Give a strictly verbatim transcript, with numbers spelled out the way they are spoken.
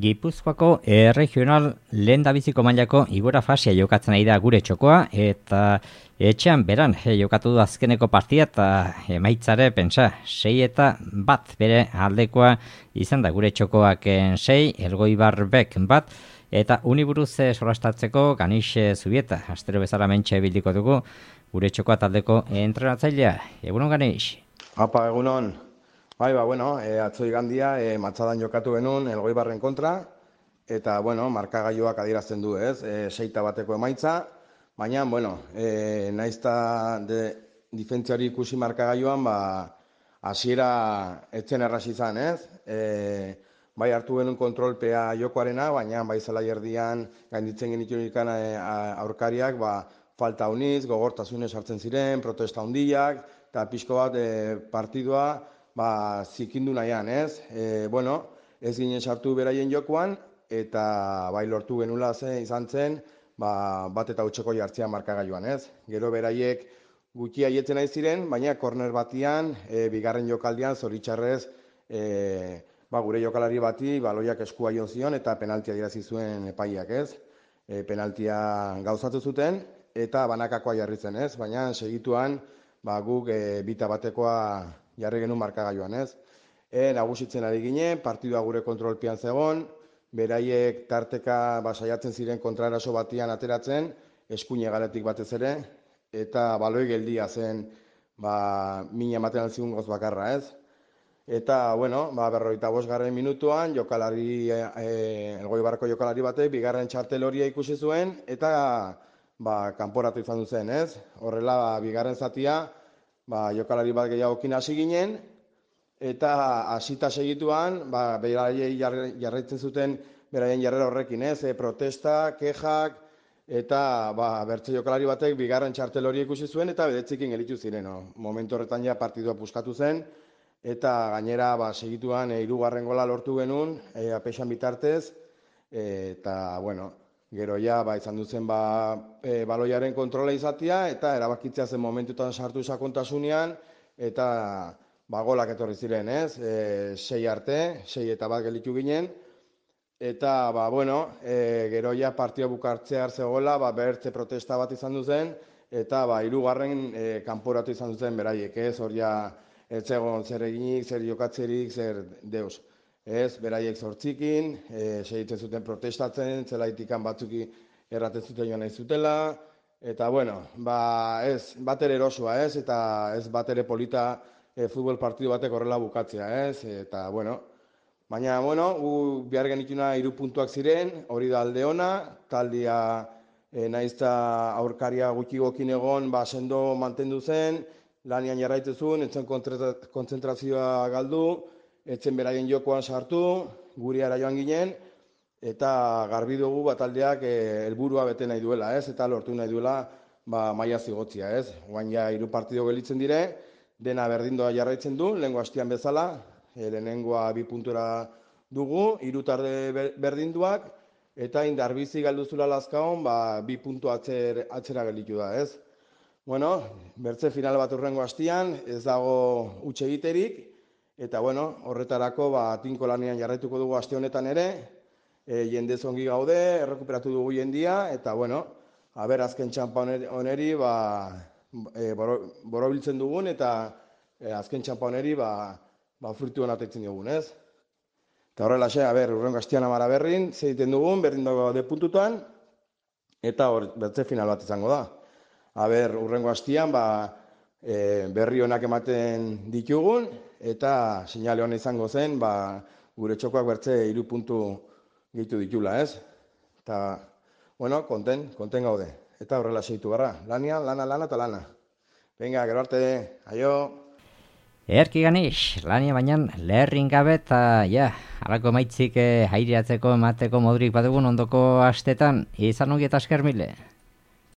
Gipuzkoako erregional lehendabiziko mailako igora fasea jokatzen ari da gure txokoa eta etxean beran e, jokatu du azkeneko partia eta emaitzare pentsa sei eta bat bere aldekoa izan da gure txokoak sei, Elgoibarbek bat eta uniburuz solastatzeko Ganixe Zubieta. Astero bezala mentxe bildiko dugu gure txokoa taldeko entrenatzailea. Egunon Ganixe. Apa, egunon. Bai, ba, bueno, e, atzo igandia e, matzadan jokatu genuen Elgoibarren kontra, eta, bueno, markagailuak adierazten du, ez, e, seita bateko emaitza, baina, bueno, e, naizta de difentziari ikusi markagailuan, ba, hasiera etzen erraz izan, ez, e, bai hartu genuen kontrolpea jokoarena, baina, bai zela erdian gainditzen genituen ikan e, aurkariak, ba, falta uniz, gogortasunez hartzen ziren, protesta hundiak, eta pixko bat e, partidua, ba, zikindu nahian, ez? E, bueno, ez ginen sartu beraien jokoan, eta bai lortu genula zen, izan zen, ba, bat eta utxeko jartzea markagailuan, ez? Gero beraiek gutxi aietzen nahi ziren, baina korner batian, e, bigarren jokaldian, zoritxarrez, e, ba, gure jokalari bati, baloiak eskua jon zion, eta penaltia dirazi zuen epaiak, ez? E, penaltia gauzatu zuten, eta banakakoa jarri zen, ez? Baina segituan, ba, guk e, bita batekoa jarri genuen markagailuan, ez? E, nagusitzen ari ginen, partidua gure kontrolpean zegoen, beraiek tarteka ba, saiatzen ziren kontraeraso batian ateratzen, eskuine galetik batez ere, eta baloi geldia zen ba, mina ematen zigun goz bakarra, ez? Eta, bueno, ba, berrogeita bosgarren minutuan, jokalari, e, Elgoibarko jokalari batek, bigarren txartel horia ikusi zuen, eta ba, kanporatu izan du zen, ez? Horrela, ba, bigarren zatia, ba, jokalari bat gehiagokin hasi ginen, eta hasita segituan, ba, beraiei jarraitzen zuten beraien jarrera horrekin, ez? E, protesta, kejak, eta ba, bertze jokalari batek bigarren txartel hori ikusi zuen, eta bedetzikin gelitu ziren. No? Momentu horretan ja partidua puskatu zen, eta gainera ba, segituan e, hirugarren gola lortu genuen, e, apexan bitartez, e, eta, bueno, gero ja, ba, izan duzen ba, e, baloiaren kontrola izatea, eta erabakitzea zen momentutan sartu sakontasunean, eta ba, golak etorri ziren, ez? E, sei arte, sei eta bat gelitu ginen, eta, ba, bueno, e, gero ja partio bukartzea zegoela, ba, bertze protesta bat izan duzen, eta ba, hirugarren e, kanporatu izan duzen beraiek, ez? Hor ja, ez zegoen zer eginik, zer jokatzerik, zer deus. Ez, beraiek zortzikin, e, segitzen zuten protestatzen, zelaitikan batzuki erraten zuten joan nahi zutela, eta bueno, ba, ez, bat ere erosua, ez, eta ez bat ere polita e, futbol partidu batek horrela bukatzea, ez, eta bueno, baina, bueno, gu behar genituna hiru puntuak ziren, hori da alde ona, taldia e, naizta aurkaria gutxi gokin egon, ba, sendo mantendu zen, lanian jarraitzezun, etzen kontzentrazioa galdu, etzen beraien jokoan sartu, guriara joan ginen, eta garbi dugu bataldeak helburua bete nahi duela, ez? Eta lortu nahi duela ba, maila zigotzia, ez? Oain ja hiru partido gelitzen dire, dena berdindoa jarraitzen du, lehengo hastian bezala, e, lehenengoa bi puntura dugu, hiru tarde berdinduak, eta indarbizi galduzula lazkaon, ba, bi puntu atzer, atzera gelitu da, ez? Bueno, bertze final bat urrengo hastian, ez dago utxe egiterik, eta, bueno, horretarako, ba, tinko lanean jarraituko dugu aste honetan ere, e, jendez ongi gaude, errekuperatu dugu jendia, eta, bueno, haber azken txampa oneri, ba, e, boro, borobiltzen dugun, eta e, azken txampa oneri, ba, ba, fruituen atetzen dugun, ez? Eta horrela xe, haber, urrengo hastian amara berrin, zeiten dugun, berdin dago de puntutan, eta hor, bertze final bat izango da. Haber, urrengo hastian, ba, e, berri honak ematen ditugun, eta seinale hona izango zen, ba, gure txokoak bertze hiru puntu gehitu ditula, ez? Eta, bueno, konten, konten gaude. Eta horrela segitu gara. Lania, lana, lana eta lana. Venga, gero arte, aio! Erki Ganix, lania baina leherrin gabe eta, ja, halako maitzik eh, aireatzeko emateko modurik badugun ondoko astetan, izan ongi eta esker mile.